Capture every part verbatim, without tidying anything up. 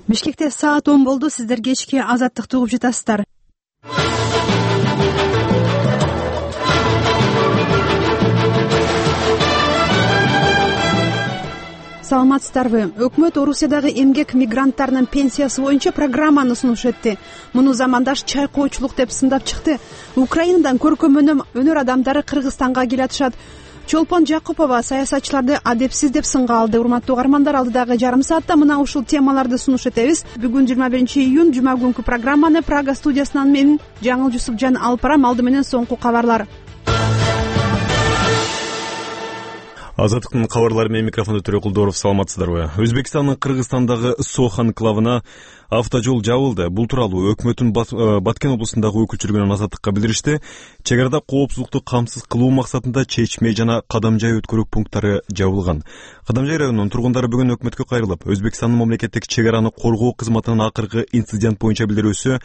Бишкекте саат он болду. Сиздер кечки Азаттыкты угуп жатасыздар. Саламатсыздарбы? Өкмөт Орусиядагы эмгек мигранттарынын пенсиясы боюнча программаны сунуш этти. Муну замандаш чайкоочулук деп сындап чыкты. Украинадан көркөм өнөр адамдары Кыргызстанга келатышат. Чолпон Жакупова саясатчыларды адепсиз деп сынга алды. Урматтуу угармандар, алдыдагы жарым саатта мына ушул темаларды сунуш этебиз. Бүгүн жыйырма биринчи июнь жума күнкү программаны Прага студиясынан мен Жаңыл Жусупжан алып барам. Алды менен соңку кабарлар. Азаттыктын кабарлары менен микрофондо Төрө Кулдоров. Саламатсыздарбы? Өзбекстандын Кыргызстандагы Сох анклавына автожол жабылды. Бул тууралуу өкмөттүн Баткен облусундагы өкүлчүлүгүнөн Азаттыкка билдиришти. Чек арада коопсуздукту камсыз кылуу максатында чечме жана кадамжай өткөрүү пункттары жабылган. Кадамжай районунун тургундары бүгүн өкмөткө кайрылып, Өзбекстандын мамлекеттик чек араны коргоо кызматынын акыркы инцидент боюнча билдирүүсү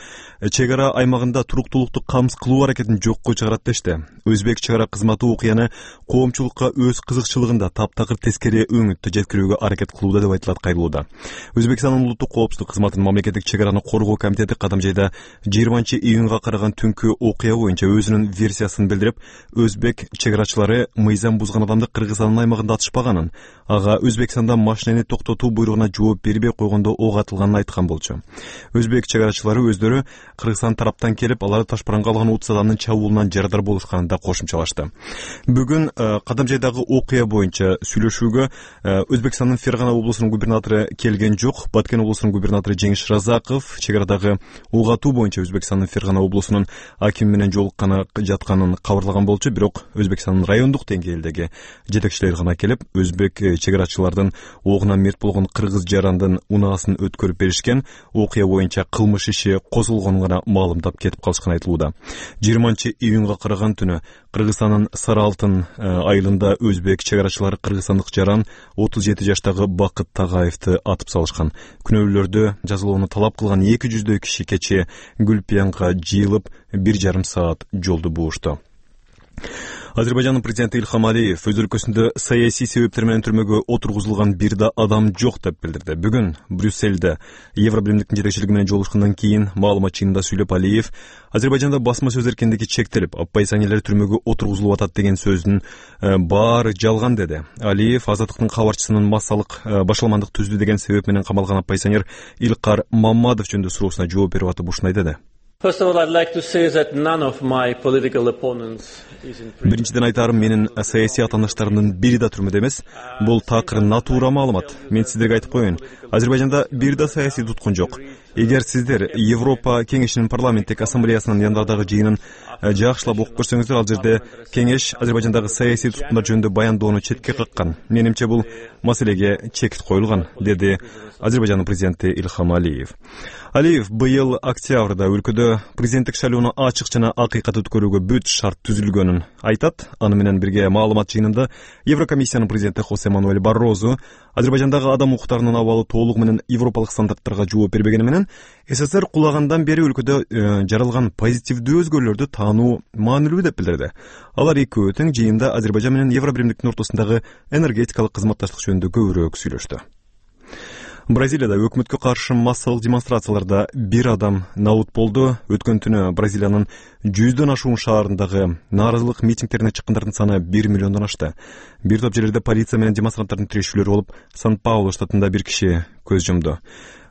чек ара аймагында туруктуулукту камсыз кылуу аракетин жокко чыгарат дешти. Өзбек чек ара кызматы окуяны коомчулукка өз кызыкчылыгында таптакыр тескери өңүттү жеткирүүгө аракет кылууда деп айтылат кайрылууда. Өзбекстандын улуттук коопсуздук кызматынын мамлекеттик чек араны коргоо комитети Кадамжайда жыйырманчы июнга караган түнкү окуя боюнча өзүнүн версиясын билдирип, өзбек чек арачылары мыйзам бузган адамды Кыргызстандын аймагында атышпаганын, ага Өзбекстанда машинени токтотуу буйругуна жооп бербей койгондо ок атылганын айткан болчу. Өзбек чек арачылары өздөрү Кыргызстан тараптан келип, аларды ташпаранга алган утуз адамдын чабуулунан жарадар болушканын да кошумчалашты. Бүгүн Кадамжайдагы окуя боюнча сүйлөшүүгө Өзбекстандын Фергана облусунун губернатору келген жок. Баткен облусунун губернатору Жеңиш Разаков чек арадагы угатуу боюнча Өзбекстандын Фергана облусунун акими менен жолукканы жатканын кабарлаган болчу. Бирок Өзбекстандын райондук деңгээлдеги жетекчилери гана келип, өзбек чек арачылардын огунан мерт болгон кыргыз жарандын унаасын өткөрүп беришкен, окуя боюнча кылмыш иши козулгонун гана маалымдап кетип калышканы айтылууда. жыйырманчы июнга караган түнү Кыргызстандын Сары Алтын айылында өзбек чек арачылары кыргызстандык жаран отуз жети жаштагы Бакыт Тагаевди атып салышкан. Күнөөлөрдү жазалоону талап кылган эки жүздөй киши кечээ Гүлпиянга жыйылып бир жарым саат жолду буушту. Азербайжандын президенти Ильхам Алиев өз өлкөсүндө саясий себептер менен түрмөгө отургузулган бир да адам жок деп билдирди. Бүгүн Брюссельде Евробиримдиктин жетекчилиги менен жолугушкандан кийин маалымат жыйынында сүйлөп, Алиев Азербайжанда басма сөз эркиндиги чектелип, оппозиционерлер түрмөгө отургузулуп атат деген сөздүн баары жалган деди. Алиев Азаттыктын кабарчысынын массалык башаламандык түздү деген себеп менен камалган оппозиционер Илкар Маммадов жөнүндө суроосуна жооп берип атып ушундай деди. First of all, I'd like to say that none of my political opponents is in prison. Биринчиден айтарым, менин саясий атаандаштарымдын бири да түрмөдө эмес. Бул такыр натура маалымат. Мен сиздерге айтып коеюн. Азербайжанда бир да саясий туткун жок. Эгер сиздер Европа кеңешинин парламенттик ассамблеясынын январдагы жыйынын жакшылап окуп көрсөңүздөр, ал жерде кеңеш Азербайжандагы саясий туткундар жөнүндө баяндоону четке каккан. Менимче бул маселеге чекит коюлган, деди Азербайжандын президенти Ильхам Алиев. Алиев быйыл октябрда өлкөдө президенттик шайлоону ачык жана акыйкат өткөрүүгө бүт шарт түзүлгөнүн айтат. Аны менен бирге маалымат жыйынында Еврокомиссиянын президенти Хосе Мануэль Баррозу Азербайжандагы адам укуктарынын абалы толугу менен европалык стандарттарга жооп бербегени менен СССР кулагандан бери өлкөдө жаралган позитивдүү өзгөрүүлөрдү таануу маанилүү деп билдирди. Алар экөө тең жыйында Азербайжан менен Евробиримдиктин ортосундагы энергетикалык кызматташтык жөнүндө көбүрөөк сүйлөштү. Бразилияда өкмөткө каршы массалык демонстрацияларда бир адам набут болду. Өткөн түнү Бразилиянын жүздөн ашуун шаарындагы нааразылык митингдерине чыккандардын саны бир миллиондон ашты. Бир топ жерлерде полиция менен демонстранттардын тирешүүлөрү болуп, Сан-Паулу штатында бир киши көз жумду.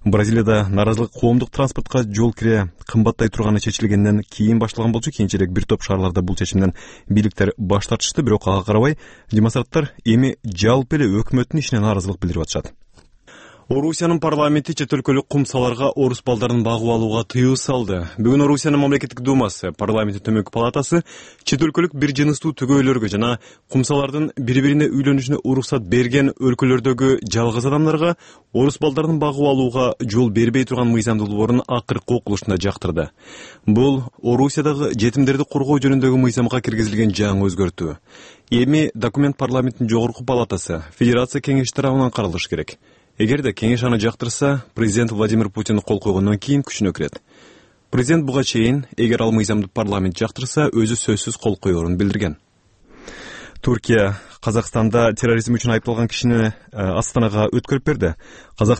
Бразилияда нааразылык коомдук транспортко жол кире кымбаттай турганы чечилгенден кийин башталган болчу. Кийинчерээк бир топ шаарларда бул чечимден бийликтер баш тартышты, бирок ага карабай демонстранттар эми жалпы эле өкмөттүн ишине нааразылык билдирип атышат. Орусиянын парламенти чет өлкөлүк кумсаларга орус балдарын багып алууга тыюу салды. Бүгүн Орусиянын мамлекеттик думасы, парламенттин төмөнкү палатасы чет өлкөлүк бир жыныстуу төгөйлөргө жана кумсалардын бири-бирине үйлөнүшүнө уруксат берген өлкөлөрдөгү жалгыз адамдарга орус балдарын багып алууга жол бербей турган мыйзам долбоорун акыркы окулушунда жактырды. Бул Орусиядагы жетимдерди коргоо жөнүндөгү мыйзамга киргизилген жаңы өзгөртүү. Эми документ парламенттин жогорку палатасы, Федерация кеңеши тарабынан каралышы керек. Эгерде кеңеш аны жактырса, президент Владимир Путин кол койгондон кийин күчүнө кирет. Президент буга чейин, эгер ал мыйзамды парламент жактырса, өзү сөзсүз кол коерун билдирген. Туркия Казакстанда терроризм үчүн айыпталган кишини Астанага өткөрүп берди.